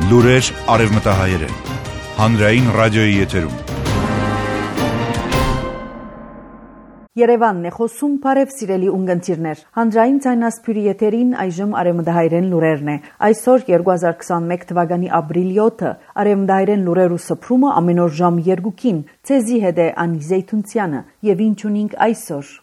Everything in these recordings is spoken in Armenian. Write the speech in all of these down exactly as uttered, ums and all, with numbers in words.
Լուրեր արևմտահայերեն։ Հանրային ռադիոյի եթերում։ Երևանն է խոսում, բարև սիրելի ունգընտիրներ։ Հանրային ցայնասփյուրի եթերին այժմ արևմտահայերեն լուրերն է։ Այսօր երկու հազար քսանմեկ թվականի ապրիլ յոթը արևմտահայերեն լուրերու սփռումը ամեն օր ժամ երկուքին։ Ցեզի հետ է Անի Զեյթունցյանը եւ ինչ ունենք այսօր։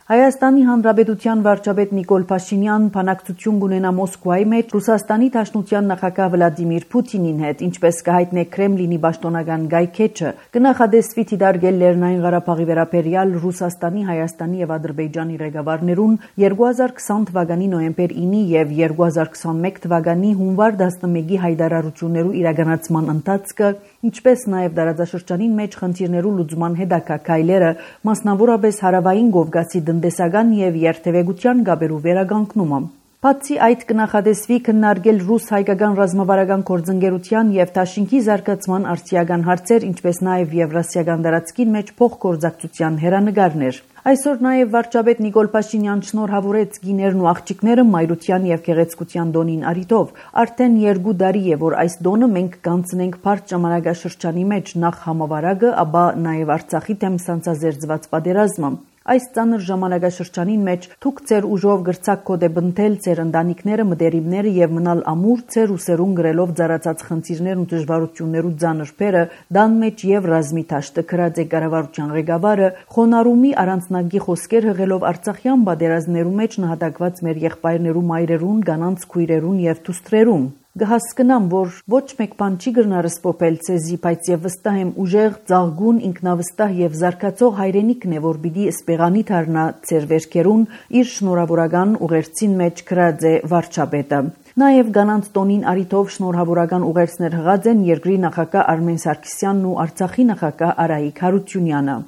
Հայաստանի Հանրապետության վարչապետ Նիկոլ Փաշինյան բանակցություն կունենա Մոսկվայի մեջ Ռուսաստանի Դաշնության նախագահ Վլադիմիր Պուտինին հետ, ինչպես կհայտնի Կրեմլինի պաշտոնական գայքեչը, կնախադեсվի դիտարկել Լեռնային Ղարաբաղի վերաբերյալ Ռուսաստանի, Հայաստանի եւ Ադրբեջանի ղեկավարներուն երկու հազար քսան թվականի նոյեմբեր ինը եւ երկու հազար քսանմեկ թվականի հունվար տասնմեկի հայտարարություններու իրականացման ընթացքը, ինչպես նաեւ դարաձաշրջանին մեջ խնդիրներու լուծման հետագա քայլերը, մասնավորապես հարավային Կովկասի տնտեսական եւ երթևեկության գաբերու վերականգնումը։ Բացի այդ կնախադեсվի քննարկել ռուս-հայկական ռազմավարական գործընկերության եւ Դաշինքի զարգացման արդիական հարցեր, ինչպես նաեւ եվրասիական տարածքին մեջ փոխգործակցության հերանեկարներ։ Այսօր նաեւ վարչապետ Նիկոլ Փաշինյան շնորհավորեց գիներն ու աղջիկները մայրության եւ գեղեցկության տոնին արիթով։ Արդեն երկու տարի է, որ այս տոնը մենք կանցնենք բարդ ժամանակաշրջանի մեջ, նախ համավարակը, ապա նաեւ Արցախի դեմ սանձազերծված պատերազմը։ Այս ծանր ժամանակաշրջանին մեջ թուք ձեր ուժով գրցակ կոդե բնթել ձեր ընտանիքները, մտերիմները եւ մնալ ամուր ձեր ուսերուն գրելով ծառացած խնդիրներն ու դժվարություններու ծանր փերը, դան մեջ եւ ռազմի թաշտը քրած է կառավարության ղեկավարը, խոնարհումի առանձնագի խոսքեր հղելով Արցախյան պատերազմներու մեջ նահատակված մեր եղբայրներու մայրերուն, կանանց քույրերուն եւ դուստրերուն։ Կհասկնամ, որ ոչ մեկ բան չի գրնա ռսպոպել ցեզի, բայց եւ վստահ եմ ուժեղ, ծաղգուն, ինքնավստահ եւ զարգացող հայրենիքն է, որ պիտի սպեղանի դառնա ձեր վերքերուն իր շնորհավորական ուղերձին մեջ գրած է վարչապետը։ Նաեւ կանանց տոնին արիթով շնորհավորական ուղերձներ հղած են երկրի նախագահ Արմեն Սարգսյանն ու Արցախի նախագահ Արայիկ Հարությունյանը։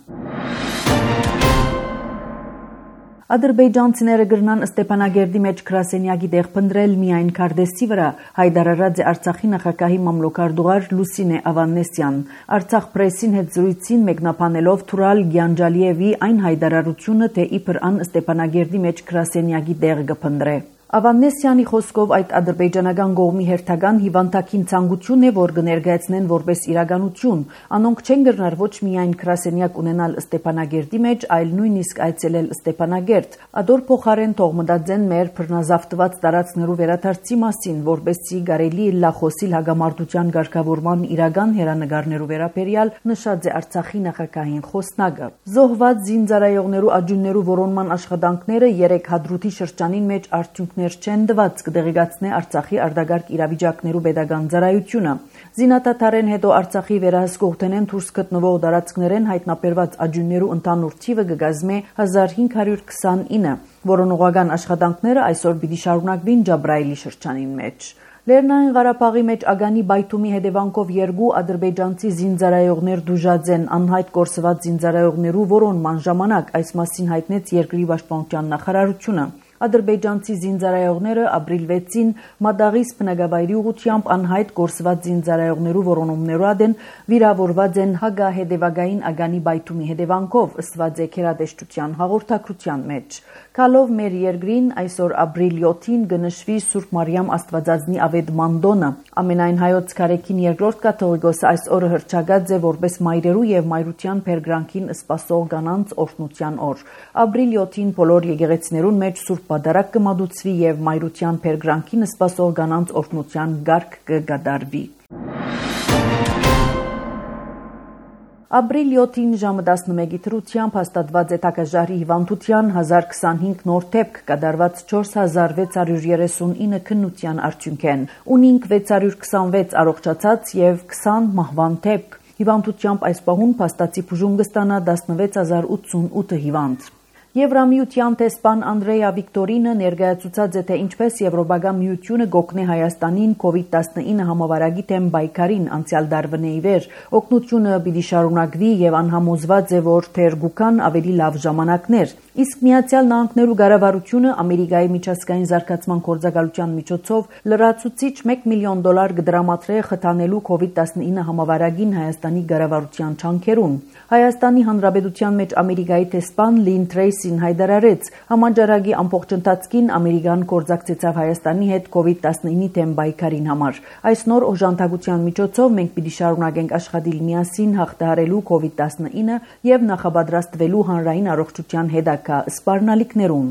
Ադրբեջանցիները գրնան Ստեփանագերդի մեջ գրասենյակի տեղ փնտրել միայն Քարդեսի վրա, հայտարարած է Արցախի նախագահի մամլոքարդուղար Լուսինե Ավանեսյան։ Արցախ պրեսին հետ զրույցին մեկնաբանելով Թուրալ Գյանջալիևի այն հայտարարությունը, թե իբր ան Ստեփանագերդի մեջ գրասենյակի տեղ կփնտրե։ Ավանեսյանի խոսքով այդ ադրբեջանական կողմի հերթական հիվանդակին ցանկություն է, որ կներկայացնեն որպես իրականություն։ Անոնք չեն գրնար ոչ միայն գրասենյակ ունենալ Ստեփանագերդի մեջ, այլ նույնիսկ այցելել Ստեփանագերդ։ Ադոր փոխարեն թող մտածեն մեր բռնազավթված տարածքներու վերադարձի մասին, որպեսզի կարելի լա խոսիլ հագամարտության ղեկավարման իրական հերանեկարներու վերաբերյալ, նշած է Արցախի նախագահին խոսնակը։ Զոհված զինծառայողներու աջուններու որոնման աշխատանքները երեք հադրութի շրջանին մեջ արդյունք չեն դված կդեղեկացնե Արցախի արտակարգ իրավիճակներու պետական ծառայությունը։ Զինադատարեն հետո Արցախի վերահսկողութենեն դուրս գտնվող տարածքներեն հայտնաբերված աջուններու ընդհանուր թիվը կգազմե հազար հինգ հարյուր քսանինը, որոնողական աշխատանքները այսօր պիտի շարունակվին Ջաբրայելի շրջանին մեջ։ Լեռնային Ղարաբաղի մեջ ագանի բայթումի հետևանքով երկու ադրբեջանցի զինծառայողներ դուժած են, անհայտ կորսված զինծառայողներու որոնման ժամանակ, այս մասին հայտնեց երկրի պաշտպանության նախարարությունը։ Ադրբեջանցի զինծառայողները ապրիլ վեցին Մադաղիս բնակավայրի ուղղությամբ անհայտ կորսված զինծառայողներու որոնումներու ադեն վիրավորված են հագահետևակային ագանի բայթումի հետևանքով, ըստված է գերատեսչության հաղորդակցության մեջ։ Քալով մեր երկրին այսօր ապրիլ յոթին կնշվի Սուրբ Մարիամ Աստվածածնի ավետման տոնը։ Ամենայն հայոց քարեքին երկրորդ կաթողիկոսը այս օրը հռչակած է որպես մայրերու եւ մայրության փերգրանքին սպասող կանանց օրհնության օր։ Ապրիլ յոթին բոլոր եկեղեցիներուն մեջ Սուրբ Պատարագ կմատուցվի եւ մայրության փերգրանքին սպասող կանանց օրհնության գարկ կգադարվի։ Ապրիլ յոթին ժամը տասնմեկի դրությամբ հաստատված է Թակաժարի հիվանդության հազար քսանհինգ նոր դեպք, կատարված չորս հազար վեց հարյուր երեսունինը քննության արդյունքեն։ Ունինք վեց հարյուր քսանվեց առողջացած եւ քսան մահվան դեպք։ Հիվանդությամբ այս պահուն փաստացի բուժում կստանա տասնվեց հազար ութսունութ հիվանդ։ Եվրամիության տեսփան Անդրեյա Վիկտորինը ներկայացուցած է, թե ինչպես Եվրոպական միությունը գօգնի Հայաստանին կովիդ տասնինը համավարակի դեմ պայքարին անցյալ տարվա ի վեր։ Օգնությունը պիտի շարունակվի եւ անհամոզված է, որ թեր գուքան ավելի լավ ժամանակներ։ Իսկ Միացյալ Նահանգներու կառավարությունը Ամերիկայի միջազգային զարգացման գործակալության միջոցով լրացուցիչ մեկ միլիոն դոլար կդրամատրե խթանելու կովիդ տասնինը համավարակին Հայաստանի կառավարության չանքերուն։ Հայաստանի Հանրապետության մեջ Ամերիկայի տեսփան Լին Թրեյս պրեսին հայտարարեց, համաճարակի ամբողջ ընթացքին Ամերիկան կորձակցեցավ Հայաստանի հետ կովիդ տասնինի դեմ պայքարին համար։ Այս նոր օժանդակության միջոցով մենք պիտի շարունակենք աշխատել միասին հաղթահարելու կովիդ տասնինը եւ նախապատրաստվելու հանրային առողջության հետագա սպառնալիքներուն։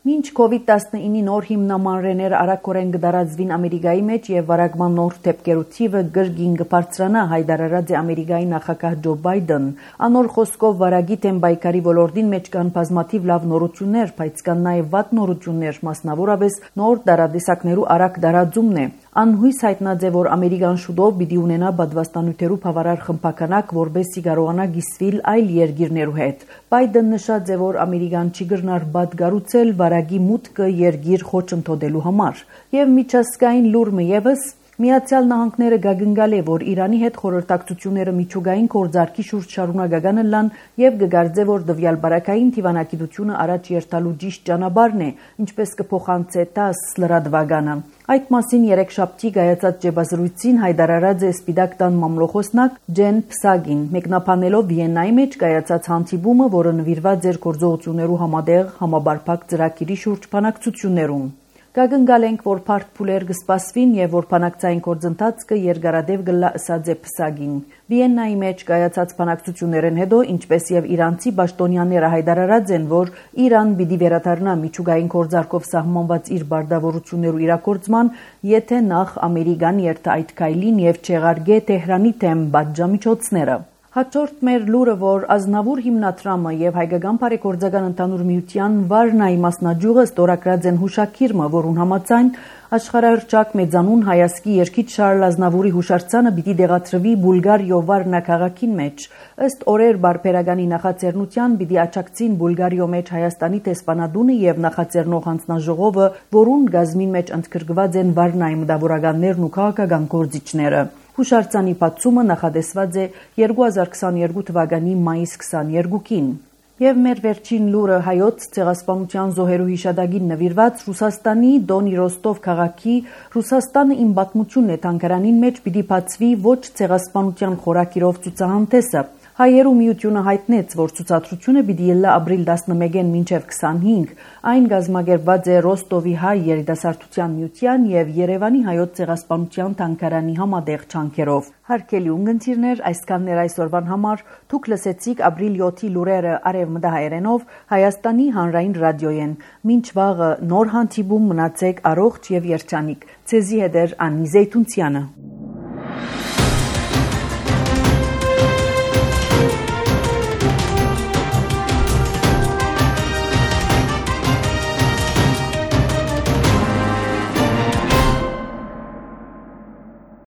Մինչ կովիդ տասնինի նոր հիմնամանրեներ արագորեն կդարածվին Ամերիկայի մեջ եւ վարակման նոր դեպքերու թիվը գրգին կբարձրանա, հայտարարած է Ամերիկայի նախագահ Ջո Բայդեն։ Անոր խոսքով վարակի դեմ պայքարի ոլորտին մեջ կան բազմաթիվ լավ նորություններ, բայց կան նաեւ վատ նորություններ, մասնավորապես նոր դարադիսակներու արագ դարածումն է։ Անհույս հայտնած է, որ Ամերիկան շուտով պիտի ունենա բադվաստանյութերու բավարար խմբականակ, որպեսզի կարողանա գիսվել այլ երկիրներու հետ։ Բայդեն նշած է, որ Ամերիկան չի գրնար բադ գառուցել վարակի մուտքը երկիր խոչընդոտելու համար։ Եվ միջազգային լուրը եւս Միացյալ Նահանգները գագնգալ է, որ Իրանի հետ խորհրդակցությունները միջուկային գործարքի շուրջ շարունակական լան եւ կգարձե, որ դվյալ բարակային դիվանագիտությունը առաջ երթալու ճիշտ ճանապարհն է, ինչպես կփոխանցե տաս լրատվականը։ Այդ մասին երեքշաբթի կայացած ջեբազրույցին հայտարարած է Սպիտակ տան մամլոխոսնակ Ջեն Փսագին, մեկնաբանելով Վիեննայի մեջ կայացած հանդիպումը, որը նվիրված էր գործողություններու համատեղ համաբարփակ ծրագիրի շուրջ բանակցություններուն։ Կագնգալ ենք, որ բարդ փուլեր կսպասվին եւ որ բանակցային գործընթացը երկարատև գլա ըսած է Փսագին։ Վիեննայի մեջ կայացած բանակցություններեն հետո, ինչպես եւ իրանցի պաշտոնյաները հայտարարած են, որ Իրան պիտի վերադառնա միջուկային գործարքով սահմանված իր բարդավորություններու իրագործման, եթե նախ Ամերիկան երթա այդ քայլին եւ չեղարգե Թեհրանի դեմ պատժամիջոցները։ Հաջորդ մեր լուրը, որ Ազնավուր հիմնադրամը եւ Հայկական բարեգործական ընդհանուր միության Վարնայի մասնաճյուղը ստորագրած են հուշագիրը, որուն համաձայն աշխարհահռչակ մեծանուն հայացքի երկիչ Շարլ Ազնավուրի հուշարձանը պիտի դեղադրվի Բուլգարիո Վարնա քաղաքին մեջ։ Ըստ օրեր բարբերականի նախաձեռնության պիտի աջակցին Բուլգարիո մեջ Հայաստանի տեսփանադունը եւ նախաձեռնող հանձնաժողովը, որուն գազմին մեջ ընդգրկված են Վարնայի մտավորականներն ու քաղաքական գործիչները։ Հուշարձանի բացումը նախատեսված է երկու հազար քսաներկու թվականի մայիս քսաներկուին։ Եվ մեր վերջին լուրը հայոց ցեղասպանության զոհերու հիշադակին նվիրված Ռուսաստանի Դոնի Ռոստով քաղաքի Ռուսաստանը իմ պատմությունն է թանգարանին մեջ պիտի բացվի ոչ ցեղասպանության խորակիրով ցուցահանդեսը։ Հայերու միությունը հայտնեց, որ ցուցադրությունը պիտի ելնա ապրիլ տասնմեկին մինչև քսանհինգ, այն գազմագերբված է Ռոստովի հայ երիտասարդության միության եւ Երևանի հայոց ցեղասպանության թանգարանի համատեղ ջանքերով։ Հարգելի ունգընտիրներ, այսքանն էր այսօրվան համար։ Դուք լսեցիք ապրիլ յոթի լուրերը արևմտահայերենով Հայաստանի հանրային ռադիոյեն։ Մինչ վաղը նոր հանդիպում մնացեք առողջ եւ երջանիկ։ Ցեզի հետ էր Անի Զեյթունցյանը։